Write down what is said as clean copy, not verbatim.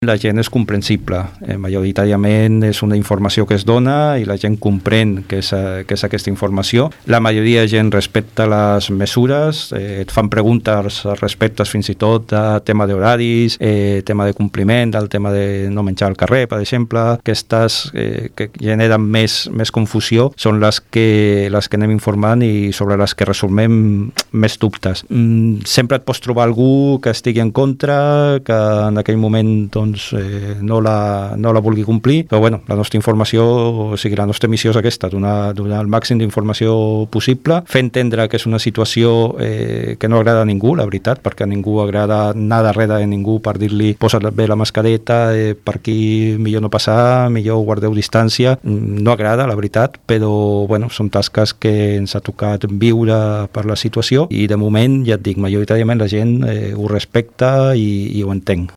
La gent és comprensible, majoritàriament és una informació que es dona i la gent comprèn que és aquesta informació. La majoria de gent respecta les mesures, et fan preguntes respecte fins i tot a tema d'horaris, tema de compliment, del tema de no menjar al carrer, per exemple. Aquestes que generen més confusió són les que anem informant i sobre les que resolvem més dubtes. Sempre et pots trobar algú que estigui en contra, que en aquell moment no la vulgui complir, però bueno, la nostra informació, o sigui, la nostra missió és aquesta, donar el màxim d'informació possible, fer entendre que és una situació que no agrada a ningú, la veritat, perquè a ningú agrada anar darrere de ningú per dir-li posa't bé la mascareta, per aquí millor no passar, millor guardeu distància, no agrada, la veritat, però bueno, són tasques que ens ha tocat viure per la situació i de moment, ja et dic, majoritàriament la gent ho respecta i ho entén.